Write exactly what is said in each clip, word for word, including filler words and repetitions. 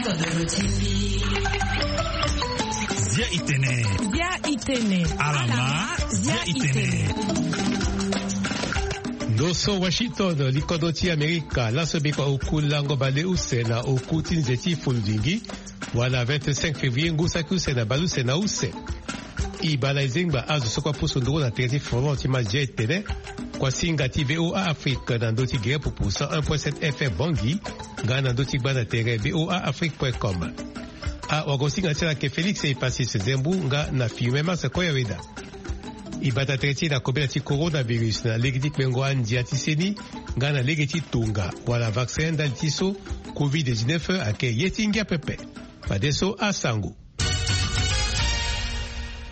Zia itene. Zia itene. Alama. Zia itene. Ndo so Washington, likodro ti Amerika, laso bikua oku lango baleuse na oku ti nze ti fulundingi, wala vingt-cinq février ngu saki use na baleuse na use. E baa na e zengba azo so kue apusu nduru na tere ti folon ti ma zia etene. Kuasinga ti VOA Afrique na ndö ti gere pupu cent un point sept F M Bangui, nga na ndö ti gba na tere VOA Afrique point com. Awagosinga ti ala ayeke Félix Epasis Zembu nga na Fiume Max Koyaweda. E bata tere ti e na kobela ti coronavirus na lege ti kpengo andia ti seni nga na lege ti tonga wala vaccin ndali ti so covid dix-neuf ayeke ye ti ngia pepe. Fadeso asango.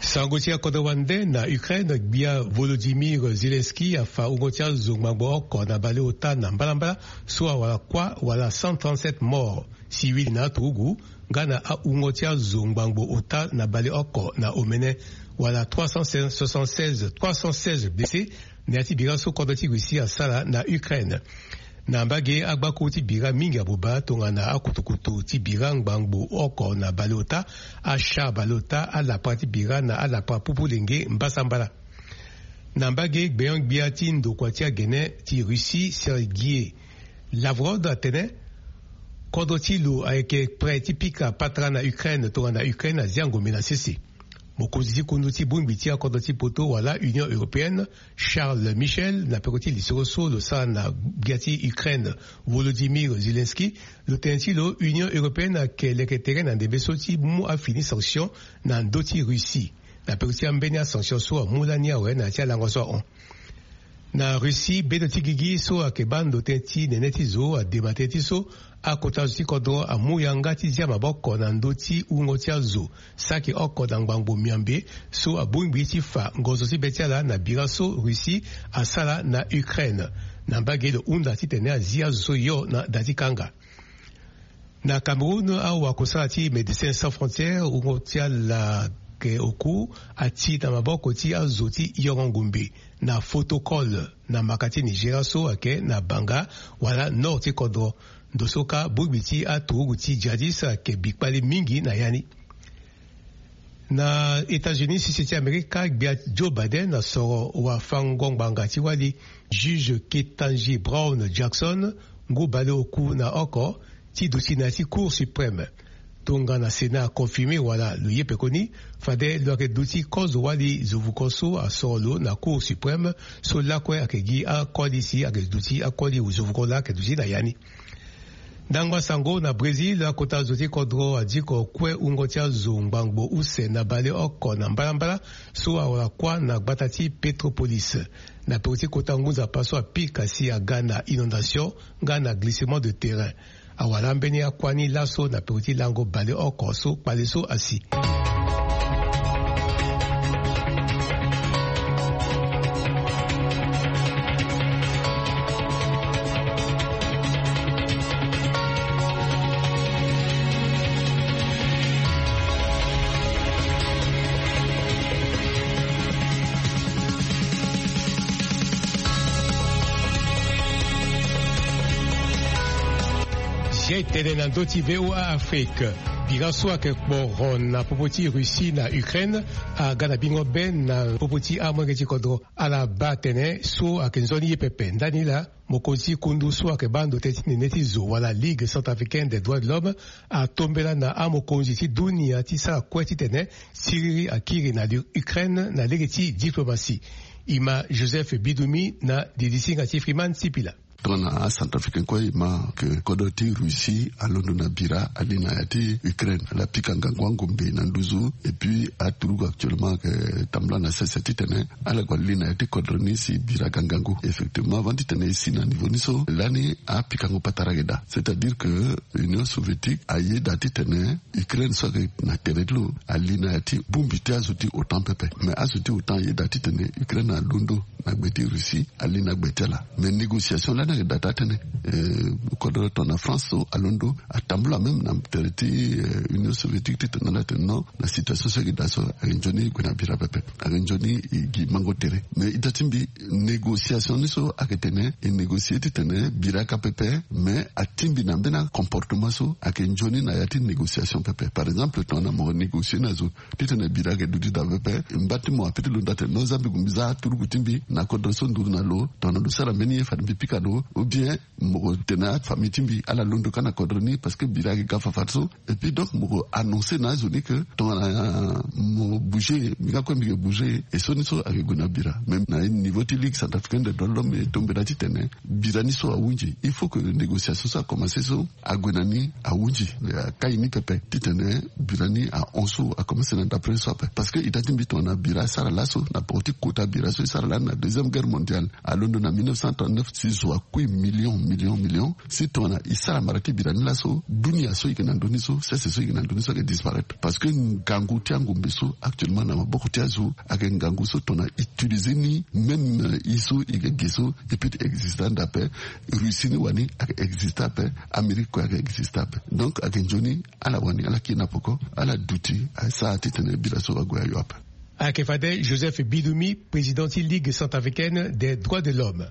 Sango ti akodro wande na Ukraine, gbia Volodymyr Zelensky afa wungo ti azo ngbangbo oko na baleota na mbalambala, so awara kuâ wala cent trente-sept morts civils na aturugu, nga na awungo ti azo ngbangbo ota na baleoko na omene, wala trois cent soixante-seize, trois cent seize blessés, na ya ti bira so kodro ti Russie asara na Ukraine. Na mbage, agbakuru ti bira mingi abuba tongana akutukutu ti bira ngbangbo oko na baleota, achar baleota, alapara ti bira na alapara pupu lenge mbasambala. Na mbage, gbenyo-gbia ti ndokua ti agene ti Russie, Sergei Lavrov, atene kodro ti lo ayeke prêt ti pika patara na Ukraine tongana Ukraine azia ngombe na sese. Mokonzi ti kundu ti bongbi ti akodro ti poto wala Union européenne, Charles Michel, na peko ti lisoro so lo sara na gbia ti Ukraine, Volodymyr Zelensky, lo tene ti lo Union européenne ayeke leke tere na ndembe so ti mu afini sanction na ndö ti Russie, na peko ti ambeni asanction so amu lani awe na ya ti alango so ahon. Na Russie, bendo ti gigi so ayeke baa ndo tënë ti nene ti zo adema tënë ti so akota zo ti kodro amu yanga ti zia maboko na ndö ti wungo ti azo saki oko na ngbangbo miambe so abongbi ti fa ngonzo ti be ti ala na bira so Russie asara na Ukraine. Na mbage, lo hunda titene azi azo so yo na da ti kanga. Na Cameroun, awakosala ti Médecins Sans Frontières, wungo ti ala ayeke oku, ati na maboko ti azo ti yongo ngumbe na Fotokol, na maka ti Nigeria so ayeke na Banga, wala nord ti kodro. Ndo so kâ bongbi ti aturugu ti jihadiste ayeke bi kpale mingi na ya ni. Na États-Unis, sese ti Amerika, gbia Joe Biden asoro wafango ngbanga ti wali juge Ketanji Brown Jackson, ngu baleoku na oko, ti duti na ya ti Cour suprême. Tongana Sénat aconfirmé wala lo ye pekoni, fade lo yeke duti kozo wali zovuko so asoro lo na Cour suprême, so lakue ayeke gi akoli si ayeke duti akoli zovuko laa ayeke duti na ya ni. Ndangba sango na Brésil, akota zo ti kodro adiko kue wungo ti azo ngbangbo use na baleoko na mbalambala, so awara kuâ na gbata ti Petropolis, na peko ti kota ngu nzapa so apika si aga na inondation nga na glissement de terrain. Awara ambeni akuâ ni laso na peko ti lango baleoko so kpale so asi. Zia etene na ndö ti VOA Afrique. Bira so ayeke kporo na popo ti Russie na Ukraine aga na bingo be na popo ti amolenge ti kodro. Ala baa atene so ayeke nzoni ye pepe. Ndani laa, mokonzi ti kundu so ayeke baa ndo tënë ti nene ti zo wala Ligue Centrafricaine des Droits de l'Homme atombela na amokonzi ti dunia ti sara kue titene siriri akiri na Ukraine na lege ti diplomatie. E ma Joseph Bidoumi na didisinga ti Freeman Sipila. Tongana acentrafricain kue e ma ke kodro ti Russie alondo na bira ali na ya ti Ukraine, ala pika ngangu angombe na nduzu. Et puis aturugu actuellement ayeke tambula na sese titene ala gue ali na ya ti kodro ni si bira aga ngangu. Effectivement, avant titene e si na niveau ni so, lani apikango patara ayeke daa. C'est-à-dire que Union soviétique ayeda titene Ukraine so ayeke na tere ti lo ali na ya ti bongbi ti azo ti OTAN pepe. Mais azo ti OTAN ayeda titene Ukraine alondo na gbe ti Russie, ali na gbe ti ala. Mais négociation lani Ayeke daa taa tënë. Kodro tongana France so alondo atambula même na tere ti Union soviétique titene ala tene non, na situation so ayeke daa so ayeke nzoni e gue na bira pepe. Ayeke nzoni e gi mango tere. Mais ita ti mbi, négociation ni so ayeke tene e négocier titene bira ka pepe. Mais atingbi na mbeni acomportement so ayeke nzoni na ya ti négociation pepe. Par exemple tongana mo négocier na zo titene bira ayeke duti daa pepe, mba ti mo ape ti londo atene non, za mbi gue mbi za turugu ti mbi na kodro so nduru na lo. Tongana lo sara mbeni ye fade mbi pika lo. Ou bien mo tene afamille ti mbi ala londo kâ na kodro ni parce que bira ayeke ga fafadeso. Et puis donc mo annoncer na azo ni que tongana mo bouger, mbi ga kue mbi yeke bouger. Et so ni so ayeke gue na bira. Même na niveau ti Ligue centrafricaine des droits de l'homme e tombela titene bira ni so ahunzi. Il faut que négociation so akomanse so ague na ni ahunzi. Akai ni pepe titene bira ni ahon so akomanse na ndapre so ape. Parce que ita ti mbi tongana bira asara laso na poko ti kota bira so e sara lani na deuxième guerre mondiale, alondo na mille neuf cent trente-neuf si zo akui million million million. Si tongana e sara mara ti bira ni laso, dunia so e yeke na ndö ni so, sese so e yeke na ndö ni so ayeke disparaître. Parce que ngangu ti angombe so actuellement na maboko ti azo ayeke ngangu so tongana utiliser ni, même e so e yeke ge so e peut ti existe ande ape. Russie ni wani ayeke existe ape. Amérique kue ayeke existe ape. Donc ayeke nzoni ala wani ala kiri na poko, ala duti asara titene bira so ague ayo ape. Ayeke fade Joseph Bidumi, président ti Ligue centrafricaine des droits de l'homme.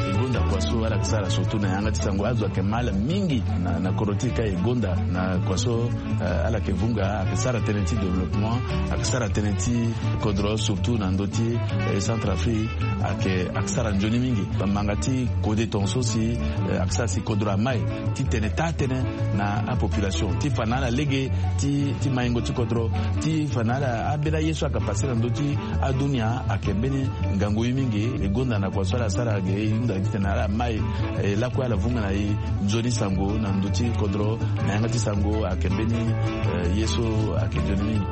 E gonda kua so ala yeke sara surtout na yanga ti sango, azo ayeke ma ala mingi na, na kodro ti e ka e gonda na kua so, eh, ala yeke vunga, ayeke sara tënë ti développement, ayeke sara tënë ti kodro surtout na ndö ti, eh, Centrafrique, ayeke, ayeke sara nzoni mingi. Bamanga ti kode tongaso si, eh, ayeke sara si kodro amai titene taa tënë na apopulation ti fa na ala lege ti, ti maingo ti kodro, ti fa na ala ambeni aye so ayeke pase na ndö ti adunia ayeke mbeni ngangu ye mingi. E gonda na kua so ala sara ge e hunda titene ala mai, eh, lakue ala vunga na e nzoni sango na ndö ti kodro na yanga ti sango ayeke mbeni, eh, ye so ayeke nzoni mingi.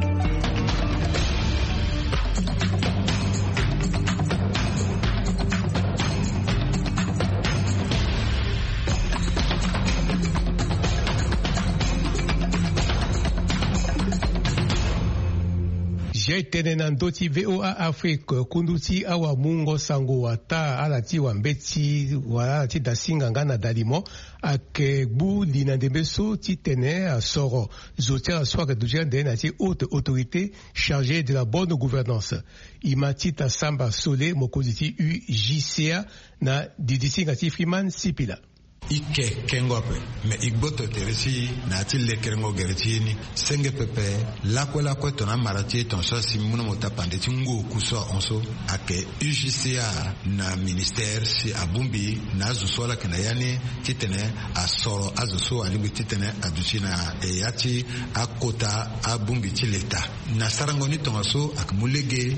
Zia e tene na ndö ti V O A Afrique, kundu ti awamungo sango wata ala ti wambeti wala ala ti dasinga nga na dalimo, ayeke gbu li na ndembe so titene asoro zo ti ala so ayeke duti ande na ya ti haute autorité chargée de la bonne gouvernance. E ma ti ta samba sole mokonzi ti U J C A na didi ti hinga ti Freeman Sipila. E ke kengo ape, me e gboto tere ti e na ya ti lekerengo gere ti ye ni. Senge pepe, lakue lakue tongana amara ti e tongaso asi mu na mo tapande ti ngu oku so ahon so, ayeke U J C A na ministère si abongbi na azo so ala yeke na ya ni titene asoro azo so alingbi titene aduti na, eh, ya ti akota abongbi ti leta. Na sarango ni tongaso ayeke mu lege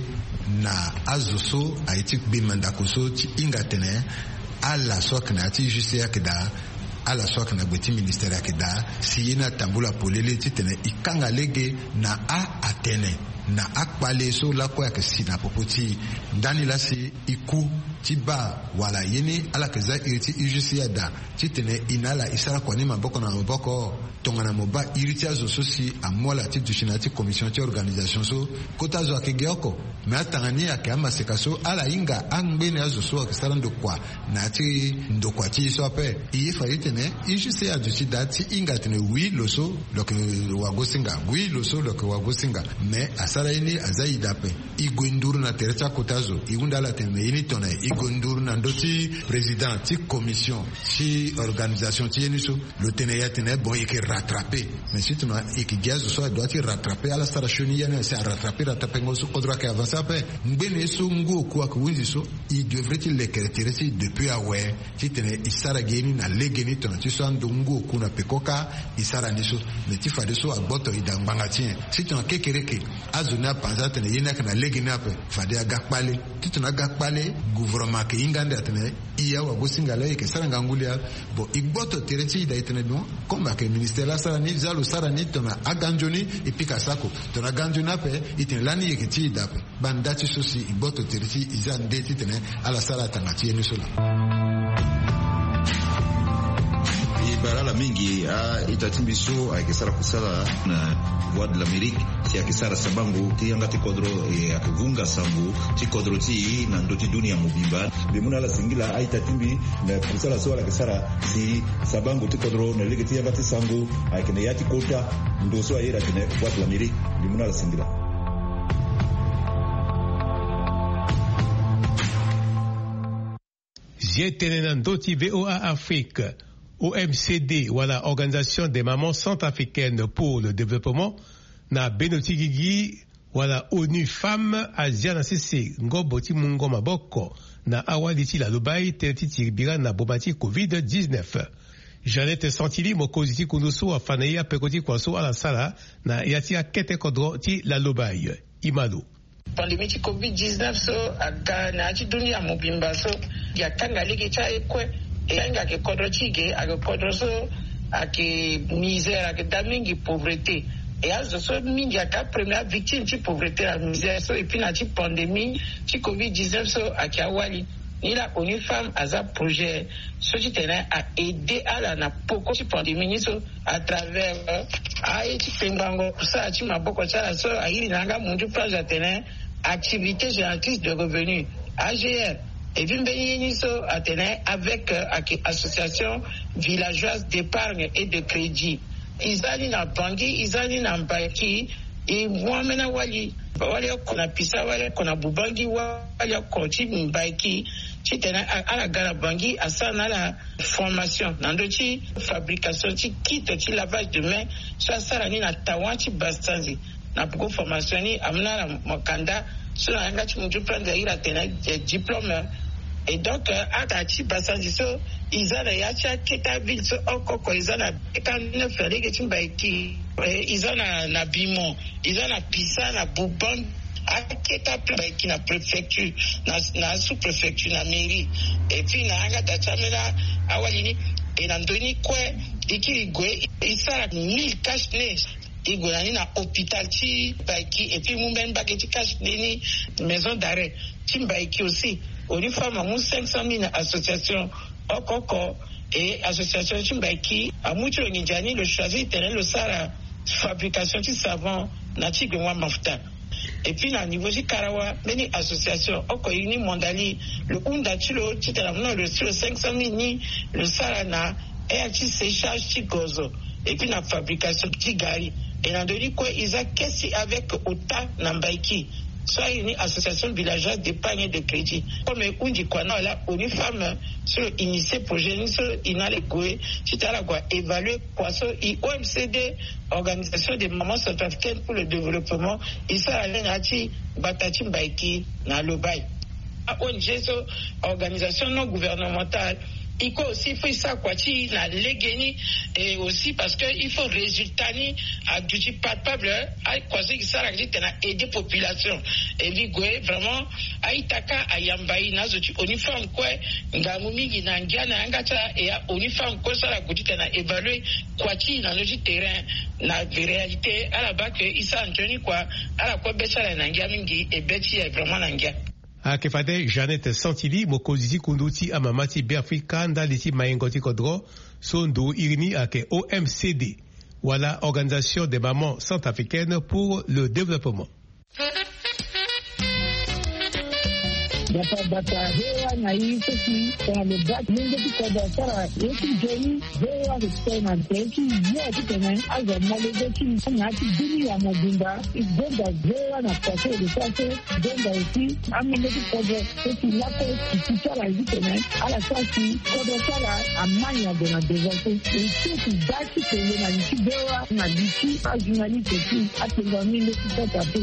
na azo so aye ti gbe mandako so ti hinga atene ala so ayeke na ya ti U J C A ayeke daa, ala so ayeke na gbe ti ministère ayeke daa, si ye ni atambula polele titene e kanga lege na a atene na akpale so lakue ayeke si na popo ti e. Ndani laa si e ku ti baa wala ye ni ala yeke za iri ti U J C A daa titene e na ala e sara kua ni maboko na maboko. Tongana mo baa iri ti azo so si amu ala ti duti na ya ti commission ti organisation so, kota zo ayeke ge oko. Me atanga ni ayeke amaseka so ala hinga angbene azo so ayeke sara ndokua na ya ti ndokua ti e so ape. E ye fa ye tene e ju si aduti daa ti hinga atene wi lo so lo yeke wagosinga, wi lo so lo yeke wagosinga. Me asara ye ni aza ida ape. E gue nduru na tere ti akota zo, e hunda ala tene me ye ni tongana e gue nduru na ndö ti président ti commission ti organisation ti ye ni so. Lo tene ya tene bon e yeke rattraper. Mais si tongana e yeke gi azo so adoit ti rattraper ala sara sioni ya ni asi arattraper rattrapengo so kodro ayeke avancer ape. Ngbene so ngu oku ayeke hunzi so, e devrait ti lekere tere ti e depuis awe titene e sara gi ye ni na legeni tongana ti so ando ngu oku na peko kâ e sara ni so. Mais ti fadeso agboto e daa ngbanga ti nyen? Si tongana kekereke azo ni apanza atene ye ni ayeke na legeni ape, fade aga kpale. Titene aga kpale, gouvernement ayeke hinga ande atene e awagosinga laa e yeke sara ngangu lia. Bon, e gboto tere ti e daa e tene non, comme ayeke ministère laa asara ni, za lo sara ni, tongana aga nzoni e pika sako, tongana aga nzoni ape e tene lani e yeke ti e daa ape. Baa nda ti so si e gboto tere ti e, e za nde titene ala sara atanga ti ye ni so laa. E bara ala Mingi a-ita ti mbi so ayeke sara kusala na Voix de l'Amérique, si ayeke sara sabango ti yanga ti kodro, e ayeke vunga sango ti kodro ti e na ndö ti dunia mobimba. Mbi mu na ala singila a-ita ti mbi na kusala so ala yeke sara si sabango ti kodro na lege ti yanga ti sango ayeke na ya ti kota. Ndo so aye atene Voix de l'Amérique. Mbi mu na ala singila. Zi tene na ndö ti VOA Afrique. O M C D wala Organisation des Mamans Centrafricaines pour le Développement, na bendo ti gigi, wala ONU Femmes, azia na sese ngobo ti mungo maboko na awali ti lalobai tënë ti tiri bira na boma ti covid dix-neuf. Jeannette Santili, mokonzi ti kundu so, afa na e apeko ti kua so ala sara na ya ti akete kodro ti lalobai. Imalo. Pandémie ti covid dix-neuf so aga na ya ti dunia mobimba so, gi atanga lege ti aye kue. E ahinga ayeke kodro ti ge, ayeke kodro so ayeke misère, ayeke daa mingi pauvreté. E azo so mingi ayeke apremière victime ti pauvreté na misère so, et puis na ti pandémie ti covid dix-neuf so ayeke awali. Ni la ONU Femmes aza projet so ti tene a aidé ala na poko ti pandémie ni so, à travers, euh, aye ti kpengbango kusala ti maboko ti ala so airi na yanga mundu page atene activité génératrice de revenu, A G R. Et puis mbeni ye ni so atene avec, euh, aki-, association villageoise d'épargne et de crédit. E za ni na Bangui, e za ni na Mbaïki, e mu ambeni awali. Awali oko na Pisa, awali oko na Boubangi, awali oko ti Mbaïki. Ti tene a-, ala ga na Bangui, asara na ala formation na ndö ti fabrication ti kit ti lavage de main so asara ni na Tawa ti Basanzi, na poko formation ni amu na ala mokanda so na yanga ti mundu page airi atene, eh, diplôme. Et donc, euh, ata ti Basanzi so, e za na ya ti akete aville so oko oko, e za na quarante-neuf na lege ti Mbaïki, eh, e za na, na Bimon, e za na Pisa, na Boubangi, akete aplace Mbaïki na préfecture, na, na sous-préfecture, na mairie. Et puis na yanga da ti ambeni awali ni, e na ndö ni kue, e kiri gue, e sara mille cache-nez. E gue na ni na hôpital ti Mbaïki, et puis e mu mbeni mbage ti cache-nez ni, maison d'arrêt ti Mbaïki aussi. ONU Femmes amu cinq cent mille na association oko oko. Et association ti Mbaïki amu ti lo nginza ni, lo choisir tene lo sara fabrication ti savon na ti gbengo-mafuta. Et puis na niveau ti Karawa, mbeni association oko ye ni, Mondali, lo hunda ti lo ti tene amu na lo ti lo cinq cent mille ni, lo sara na aire ti séchage ti gozo, et puis na fabrication ti gari. Et na ndö ni kue, e za caisse avec ota na Mbaïki so airi ni association villageoise d'épargne et de crédit. Comme e hundi kua na ala, ONU Femmes so lo initier projet ni so, e na ala e gue ti tene ala gue évaluer kua so e O M C D, Organisation des Mamans Centrafricaines pour le Développement, e sara ni na ya ti gbata ti Mbaïki na Lobaye. A-ONG so, organisation non gouvernementale, e kue aussi, il faut e sara kua ti e na legeni. Et aussi parce que il faut résultat ni aduti palpable, hein. Akua so e sara ti tene a aider population. Et mbi gue vraiment, a-ita kâ ayamba e na azo ti ONU Femmes kue, ngangu mingi na ngia na yanga ti ala. Et a-ONU Femmes kue so ala gue ti tene a évaluer kua ti e na ndö ti terrain. Na réalité, ala baa que e sara nzoni kua, ala kue be ti ala ayeke na ngia mingi, e be ti e ayeke vraiment na ngia. Ayeke fade Jeannette Santili, mokonzi ti kundu ti amama ti Beafrika ndali ti maingo ti kodro, so ndo iri ni ayeke O M C D, wala Organisation des Mamans Centrafricaines pour le Développement. Bata bata, V O A na e so si tongana lo baa ti mungo ti kodro asara ye ti nzoni, V O A ayeke sara na tere ti yo ti tene azo amolenge ti na ya ti dunia mobimba. E gonda V O A na kua so e lo sara so, e gonda aussi amolenge ti kodro so si lakue e si ti ala ye ti tene ala sara si kodro ti ala amai na gue na devant so. E so si baa ti tene na li ti V O A na li ti ajournaliste ti atengua mingi ti kota pe.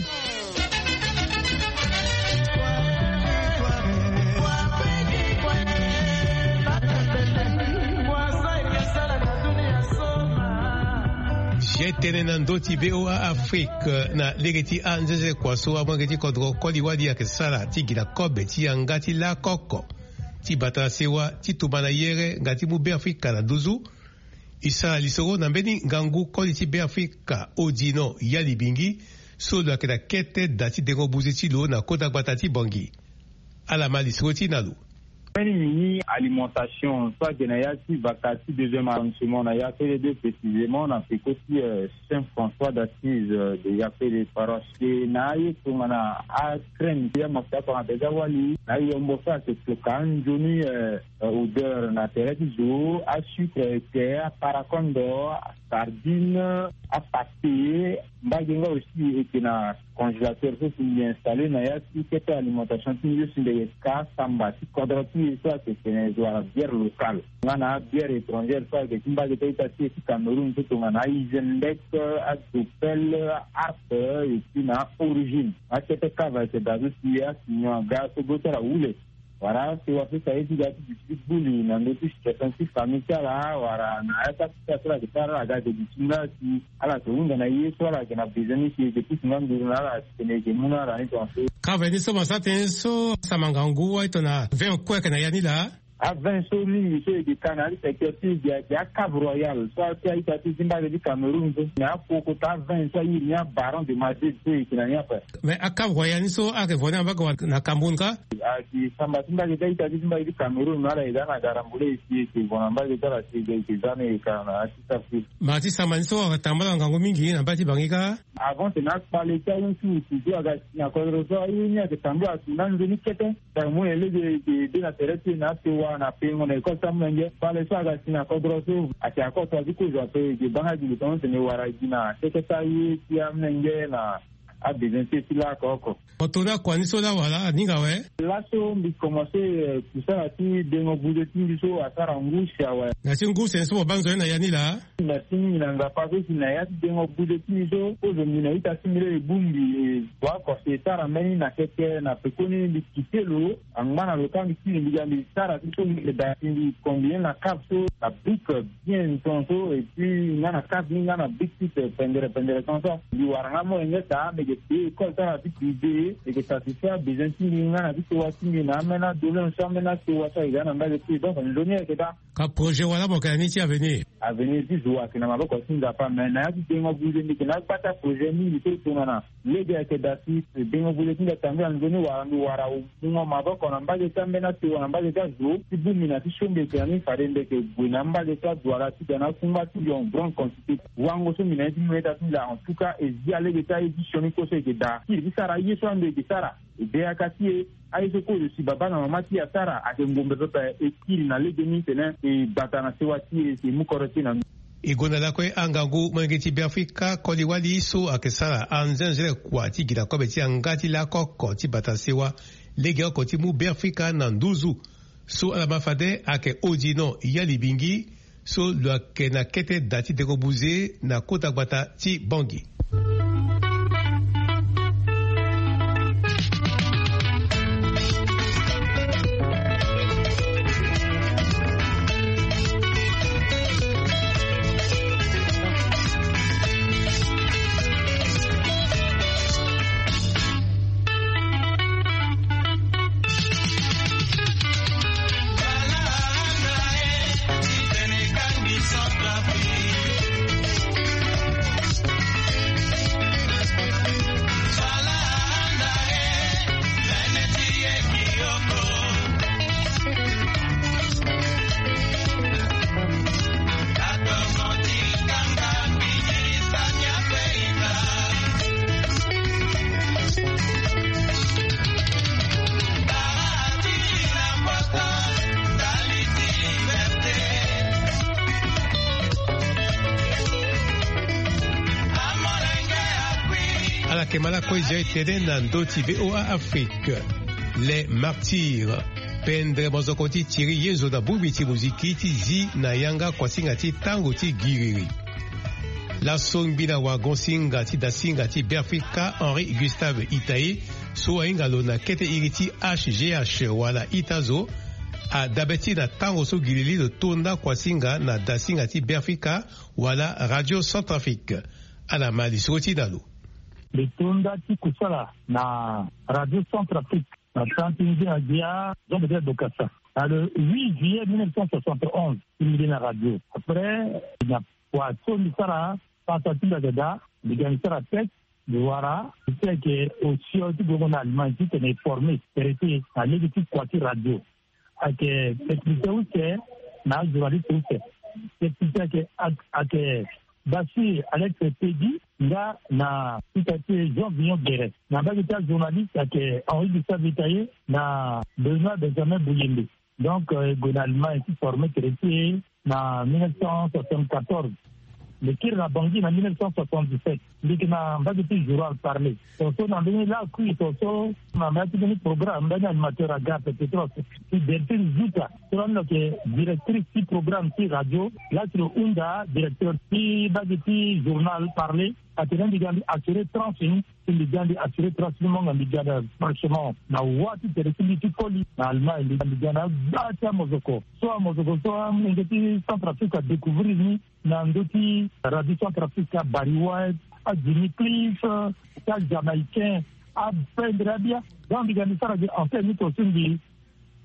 Zi tene na ndö ti V O A Afrique na lege ti anzenze kua so amolenge ti kodro koli wali ayeke sara ti gi na kobe ti yanga ti lakoko ti bata na sewa ti tumba na yere nga ti mu Beafrika na nduzu. E sara lisoro na mbeni ngangu koli ti Beafrika, Odino Yalibingi, so lo yeke na kete da ti dengo buze ti lo na kota gbata ti Bangui. Ala ma lisoro ti e na lo. Mbeni mini alimentation so ayeke na ya ti vaka ti deuxième arrondissement na ya pele deux précisément na peko ti Saint François d'Assise de ya pele paroisse e na aye tongana acrème ti amafuta apara déjà wali na ayombo so ayeke toka anzoni odeur na tere ti zo, asucre ete, aparakondo, asardine, apate. Mbage nga aussi eke na congélateur so si mbi installé na ya ti kete alimentation ti mbi so si mbi eke ka samba ti kodro ti e so ayeke tene zo wala bière locale nga na abière étrangère so ayeke ti mbage ti a-ita ti e ti Cameroun so tongana aizendek, adopel, aharp, et puis na origine. Akete kava ayeke daa so si asignon aga so bro ti ala wule. Wala si waso si aye ti ga ti duti ti buli na ndö ti situation ti famille ti ala wala na ya ti akita so ala yeke sara ala ga ayeke duti nga si ala yeke hunda na ye so ala yeke na besoin ni si e yeke pusu nga nduru na ala si tene e yeke mu na ala ni tongaso. Kave ni so mo sara tënë so sama ngangu aye tongana vin kue ayeke na ya ni laa. Avin so mingi so e yeke ka na ya ti secteur ti e gi ayeke acave royal so ati a-ita ti e ti mbage ti Cameroun so na akokota avin so airi ni abaron de Madrid so e yeke na ni ape. Mais acave royal ni so ayeke vo ni na mbage wala na Cameroun kâ? Ayeke samba ti mbage ti a-ita ti e ti mbage ti Cameroun na ala e za na garambule e si e yeke vo na mbage ti ala si e yeke za ni e ka na ya ti sara ti e. Ma ti samba ni so ayeke tambula ngangu mingi na mbage ti Bangui kâ? Avant tene akpale ti awusu wusu so aga si na kodro so aye ni ayeke tambula si na nzoni kete. Tara mo nyen lege e yeke de na tere ti e na asewa na pengo na école ti amolenge. Kpale so aga si na kodro so ayeke akoto azi kozo ape e yeke baa nga gi lo tongaso tene e wara gi na keke ti aye ti amolenge na abesoin ti e ti laa oko oko. Mo to ni akua ni so laa wala aninga awe? Laso mbi komanse kusala ti dengo buze ti mbi so asara ngu si awe. Na ti ngu si tene so mo baa nzoni na ya ni laa? Merci mingi na Nzapa so si na ya ti dengo buze ti mbi so kozo mbi na ita ti mbi laa e bongbi e. Wa oko si e sara mbeni na keke na pekoni mbi kite lo. Angba na lo kâ mbi kiri mbi ga mbi sara ti so mbi yeke daa si mbi combiner na cave so na brique bien tongaso et puis nga na cave ni nga na brique ti pendere pendere tongaso. Mbi wara nga molenge daa mbi yeke payé école ti ala ti privé mbi yeke satisfaire abesoin ti mbi nga na ti sewa ti mbi na ambeni adoléance so ambeni asewa so ayeke ga na mbage ti e donc nzoni ayeke daa. Ka projet wala mo yeke na ni ti avenir? Avenir ti zo ayeke na maboko ti Nzapa me na ya ti dengo buze mbi yeke na agba ti aprojet mingi so e tongana lege ayeke daa si dengo buze ti mbi atambula nzoni wala mbi wara mungo maboko na mbage ti ambeni asewa na mbage ti azo ti bongbi na ti so mbi yeke na ni fade mbi yeke gue na mbage ti aduala ti ga na akungba ti lion grande quantité. Wango so mbi na ye ti mu na ita ti mbi laa en tout cas e zi alege ti aye ti sioni kue so e yeke daa kiri ti sara aye so ando e yeke sara. E be yaka ti e aye so kozo si babâ na mamâ ti e asara ayeke ngombe pepe. E kiri na legeni tene e gbata na sewa ti e si e mu kodro ti e na. E gonda lakue angangu molenge ti Beafrika koli-wali so ayeke sara anzenzele kua ti gi na kobe ti yanga ti lako oko ti bata sewa legeoko ti mu Beafrika na nduzu. So ala ma fade ayeke Odino Yalibingi so lo yeke na kete da ti dengo buze na kota gbata ti Bangui. Ala yeke ma lakue zia e tene na ndö ti VOA Afrique. Les Martyrs. Pendre mozoko ti tiri ye zo na bongbi ti moziki ti zi na yanga kuasinga ti tango ti giriri. Laso ngbi na wagon-singa ti dasinga ti Beafrika Henri Gustave Itaye so ahinga lo na kete iri ti H G H wala ita zo adabe ti na tango so giriri lo tonda kuasinga na dasinga ti Beafrika wala Radio Centrafrique. Ala ma lisoro ti na lo. Mbi tonda ti kusala na Radio Centrafrique na tan ti nzenga gbia Jean Bedel Bokassa na le huit juillet mille neuf cent soixante et onze. Ti mbi de na radio après na kua so mbi sara pasa ti mbi ayeke daa mbi ga mbi sara texte mbi wara mbi ti ayeke osio ti gongo na Allemagne titene e former traité na lege ti kua ti radio. ayeke technicien use na ajournaliste use. Technicien ayeke ayeke Basi Alex Pedi nga na sita ti Jean Vignon Guéret. Na mbage ti ajournaliste ayeke Henri Gustave Itaye na Benoît Benjamin Bouyembe. Donc e gue na Allemagne ti forme tere ti e na mille neuf cent soixante-quatorze. Mbi kiri na Bangui na mille neuf cent soixante-dix-sept. Mbi yeke na mbage ti journal Parler. Tongaso na mbeni lakui tongaso na mbage ti mbeni programme mbeni animateur aga pe petros ti Delphine Zuta. So lani lo yeke directrice ti programme ti radio. Laa si lo hunda directeur ti mbage ti journal Parler. Atene mbi ga mbi assurer tranche ni. Si mbi ga mbi assurer tranche ni mo nga mbi ga na franchement na wa ti tere ti mbi ti koli na Allemagne. Mbi ga mbi ga na agba ti amozoko so amozoko so amolenge ti Centrafrique adécouvrir ni na ndö ti radio Centrafrique, abariwa, ajimmy cliff, ti ajamaïcain, apendre abia. Donc mbi ga mbi sara gi antenne ni to so mbi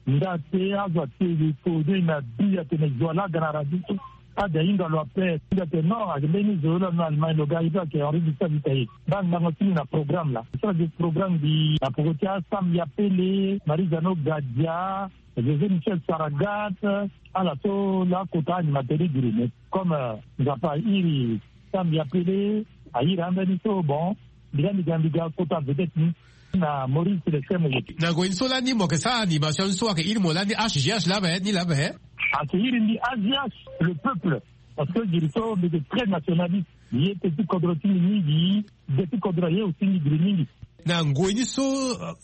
nda te azo ate gi kode na bi atene zo ala aga na radio so. Ade ahinga lo ape. Mbi ate non, ake mbeni zo lo na Allemagne lo ga aye be ake Henri Gustave Itaye. Mbi angango ti mbi na programme laa. Mbi sara gi programme mbi na poko ti Asam Yapele, Marie Jeannot Gadia, José Michel Saragat, ala so laa kota animateur ti giri. Mais comme Nzapa airi Sam Yapele, airi ambeni so bon, mbi ga mbi ga mbi ga kota vedette ni na Maurice Celestin Moyete. Na ngoi ni so lani mo yeke sara animation ni so ayeke iri mo lani H G H laa ape ni laa ape. Ayeke iri mbi H G H, le peuple. Parce que giri so mbi yeke très nationaliste. Ye pe ti kodro ti mbi mingi. Gbe ti kodro ye aussi mbi giri mingi. Na ngoi ni so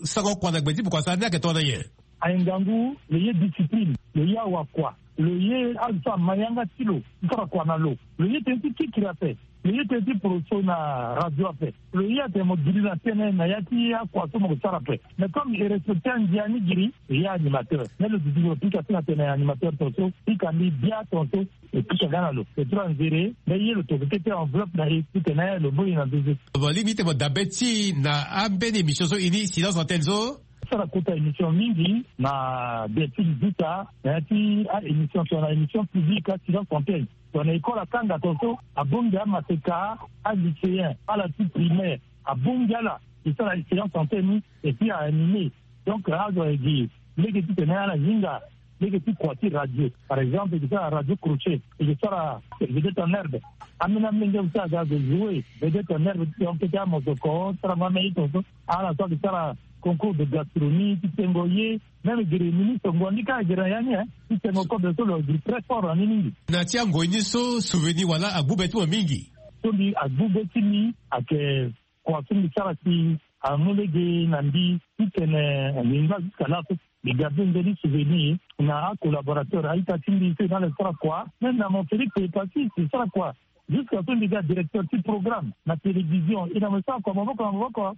sango kua na gbe ti bokua sara ni ayeke tongana nyen? Aye ngangu, lo ye discipline, lo ye awakua, lo ye azo so ama yanga ti lo ti sara kua na lo. Lo ye tënë ti kikiri ape. Lo ye tënë ti poroso na radio ape. Lo ye atene mo giri na tënë na ya ti akua so mo ke sara ape. Mais comme e respecte andia ni giri, lo ye animateur. Mais lo duti lo pika ti na tene animateur tongaso, pika mbi bia tongaso. E pika nga na lo. E tura nzere, mais ye lo toko kete enveloppe na e titene lo boi na nzeze. Bon, li mbi tene mo dabe ti na ambeni émission so e ni silence antenne so? Sara kota émission mingi na Delphine Zuta, na ya ti a émission so na émission publique a silence antenne. So na école akanga tongaso, abongi amaseka, alycéen, ala ti primaire, abongi ala e sara silence antenne ni, et puis a animé. Donc azo aye gi lege titene ala hinga lege ti kua ti radio. Par exemple e ke sara radio crochet, e ke sara vedette en herbe. Ambeni amolenge so aga azo jouer vedette en herbe ti yonke ti amosoko, sarango ameni tongaso. Ala so ake sara concours de gastronomie ti tengo ye. Même gere ministre ngonga ni kâ gere na ya ni, hein, ti tengo kobe so lo gere très fort na ni mingi. Na ti angoi ni so souvenir wala agbu be ti mo mingi? So mbi agbu be ti mbi ayeke kua so mbi sara si amu lege na mbi titene mbi ngba jusqu'à là so. Mbi ga be mbeni souvenir na acollaborateur a-ita ti mbi so e na ala e sara kua. Même na mon Félix Epassi e sara kua. Jusqu'à so mbi ga directeur ti programme na télévision, e na mo e sara kua maboko na maboko.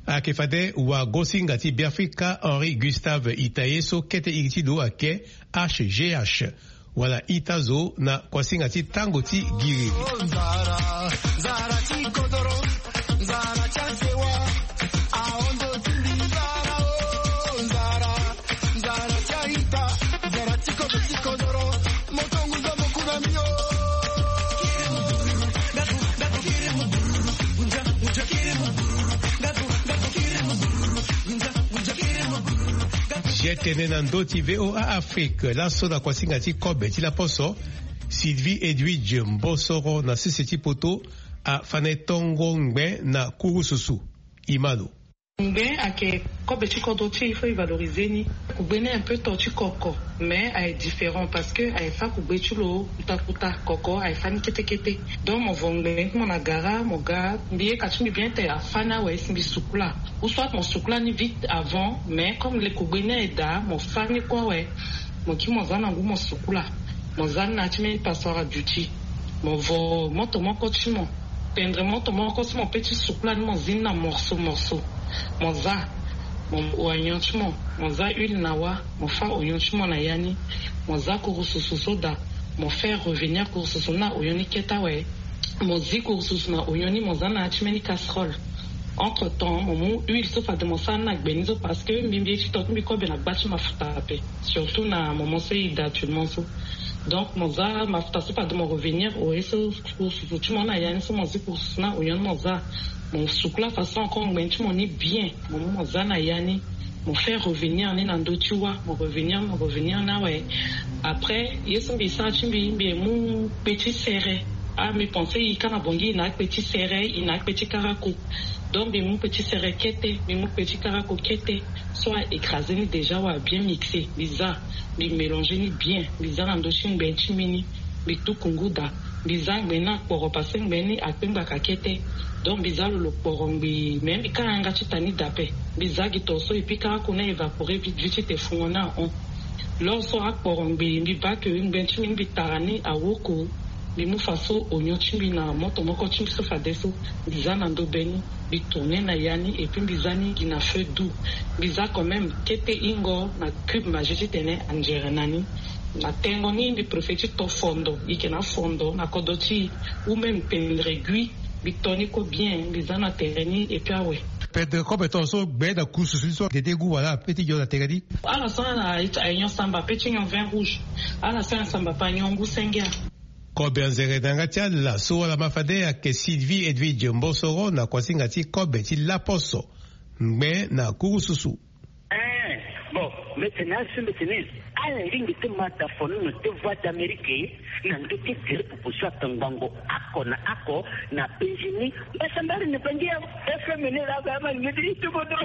Ayeke fade wagosinga ti Beafrika Henri Gustave Itaye so kete iri ti lo ayeke H G H, wala ita zo na kuasinga ti tango ti giri. Zia tene na ndö ti V O A Afrique laso na kuasinga ti kobe ti laposo. Sylvie Edwidge Mbosoro na sese ti poto afane tongo ngbe na kurususu. Imano. Ngbe ayeke kobe ti kodro ti e, il faut e valoriser ni. Kugbe ni un peu to ti koko, mais aye différent parce que aye fa kugbe ti lo kuta kuta. Koko aye fa ni kete kete. Donc mo vo ngbe ti mo na gara mo ga mbi ye ka ti mbi bien te afa ni awe si mbi sukula. Ou soit mo sukula ni vite avant, mais comme le kugbe ni aye daa mo fa ni kue awe. Mo ki mo za na ngu mo sukula. Mo za ni na ya ti mbeni passoire à duty. Mo vo moto moko ti mo, pendre moto moko ti mo pe ti sukula ni mo zi ni na morceau morceau. Mo za, mo oignon ti mo, mo za huile na wâ, mo fa oignon ti mo na ya ni. Mo za kurususu so daa, mo faire revenir kurususu ni na oignon ni kete awe. Mo zi kurususu na oignon ni mo za na ya ti mbeni casserole. Entre temps mo mu huile so fade mo sara ni na gbe ni so parce que mbi mbi ye ti to ti mbi kobe na gba ti mafuta ape. Surtout na moment so e da actuellement so. Donc mo za mafuta so fade mo revenir au ye so kurususu ti mo na ya ni so mo zi kurususu na oignon ni mo za. Mo sukula façon encore ngbe ti mo ni bien. Mo mu mo za na ya ni. Mo fait revenir ni na ndö ti wa, mo revenir, mo revenir ni awe. Après ye so mbi sara ti mbi, mbi mu kpe ti sere. Ah, mbi pense e ka na bongi e na akpe ti sere, e na akpe ti karako. Donc mbi mu kpe ti sere kete, mbi mu kpe ti karako kete. So a écrasé ni déjà, wa bien mixé, mbi za, mbi mélangé ni bien, mbi za na ndö ti ngbe ti mbi ni. Mbi tuku ngu daa. Mbi za ngbe ni akporo, parce que ngbe ni akpe ngbaka kete. Donc mbi za lo lo kporo ngbii, mais mbi ka yanga ti ta ni daa ape. Mbi za gi toro so, et puis karako ni a évaporé vite vite ti te fungo ni ahon. Lors so akporo ngbii, mbi baa ke ngbe ti mbi ni mbi tara ni awoko. Mbi mu faso oignon ti mbi na moto moko ti mbi so fadeso. Mbi za na ndö be ni, mbi tourné na ya ni, et puis mbi za ni gi na feu doux. Mbi za quand même kete hingo na cube Maggi titene anzere na ni. Na tengo ni mbi préféré ti to fondo, e yeke na afondo na kodro ti e, ou même pendre gui. Mbi to ni kue bien, mbi za na tere ni, et puis awe. Pendre kobe toro so gbe na kurususu ni so ayeke de goût, voilà, pe ti nyon na tere ni. Ala so ala, aignon samba, pe ti nyon vin rouge. Ala so ala samba pe anyon ngu senge. Kobe anzere na yanga ti ala so wala ma fade ayeke Sylvie Edwidge Mbosoro na kuasinga ti kobe ti laposo, ngbe na kurususu. Eh, bon, mbi tene asu, mbi tene ala lingbi ti ma da fono na te Voix d'Amérique na ndö ti gere pupu so atongbango oko na oko na penzi ni. Mbasambari ni bangi ya F M ni la ba ma ngedi ti bodo.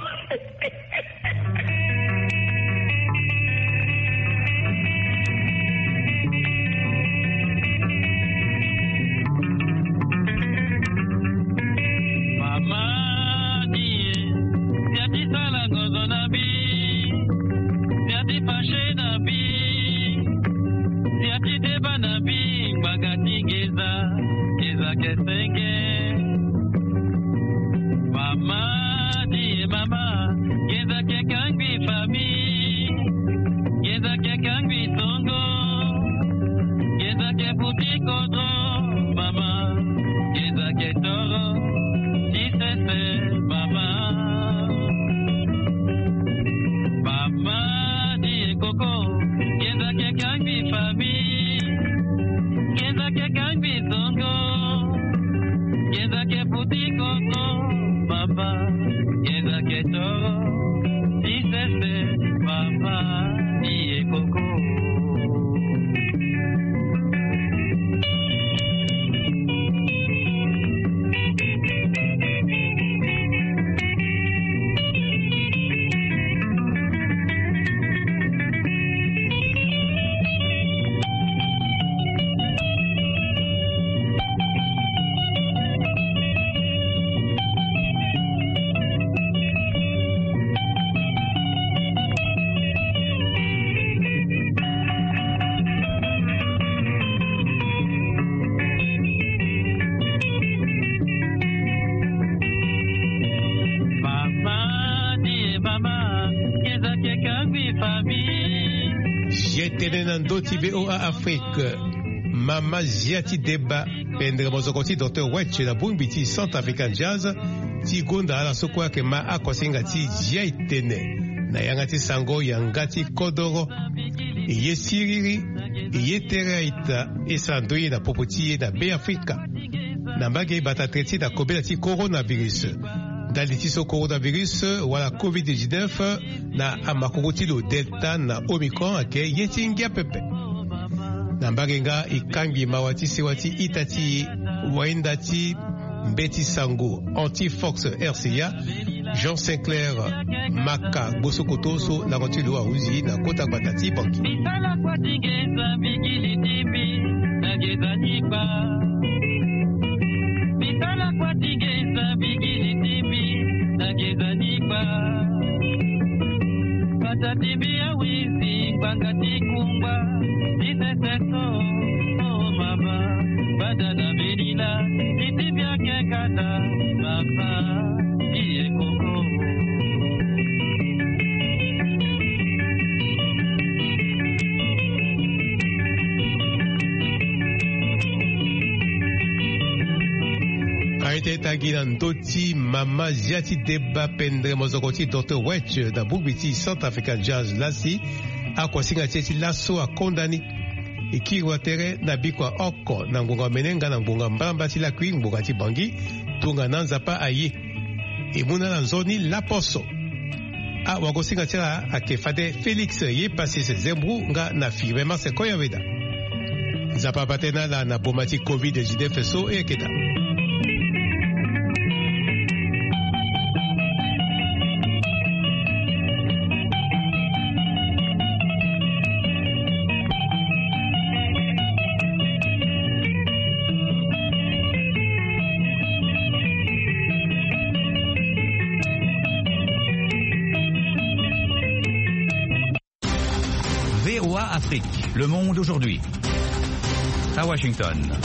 Mama ni e, sia ti sala ngozo na mbi, sia ti fâché na mbi, sia ti deba na mbi, ngbanga ti nginza, nginza ke senge. Mama ni e mama, nginza ke kangbi famille, nginza ke kangbi tongo, nginza ke buti kodro, mama, nginza ke toro ti sese, mama. Mama ni e koko, nginza ke kangbi famille, nginza ke kangbi tongo, nginza ke buti kodro, mama, nginza ke toro ti sese, mama ni e koko. Mama ni e mama, nginza ke kangbi famille. Zia ti tene na ndö ti V O A Afrique. Mama zia ti deba, pendere mozoko ti docteur Wetch na bongbi ti Centre Africain Jazz, ti gonda ala so kue ayeke ma akuasinga ti zia ti tene na yanga ti sango yanga ti kodoro. E ye siriri, e ye tere a-ita, e sara ndoye na popo ti e na Beafrika. Na mbage e bata tere ti na kobela ti coronavirus. Ndali ti so coronavirus wala covid dix-neuf na amakoko ti lo Delta na Omicron ayeke ye ti ngia pepe. Na mbage nga e kangbi mawa ti sewa ti ita ti e, wainda ti mbeti sango Anti Fox R C A, Jean Sinclair Maka Gbosokoto so lango ti lo ahuzi na kota gbata ti Bangui. Bisala kua ti nginza mbigili ti mbi na nginza ni kpa. Bisala kua ti nginza mbigili ti mbi na nginza ni kpa. Bata ti mbi awizi ngbanga ti kungba ti sese so. Oh mama, bada na mbi lila, ti ti mbi ake kata, mama, ti e koko. Aye ti e tangi na ndö ti mama zia ti deba pendere mozoko ti docteur Wetch na bongbi ti Centre Africain Jazz lasi. Akuasinga ti e ti laso akonda ni. E kiri wa tere na bikua oko na ngbonga omene nga na ngbonga mbalambala ti lakui ngbonga ti Bangui. Tongana Nzapa aye, e mu na ala nzoni laposo. Awagosinga ti ala ayeke fade Félix Yepasis Zembrou nga na Firmin Marcel Koyaweda. Nzapa abate na ala na boma ti covid dix-neuf so e yeke daa. V O A Afrique, le monde aujourd'hui. À Washington.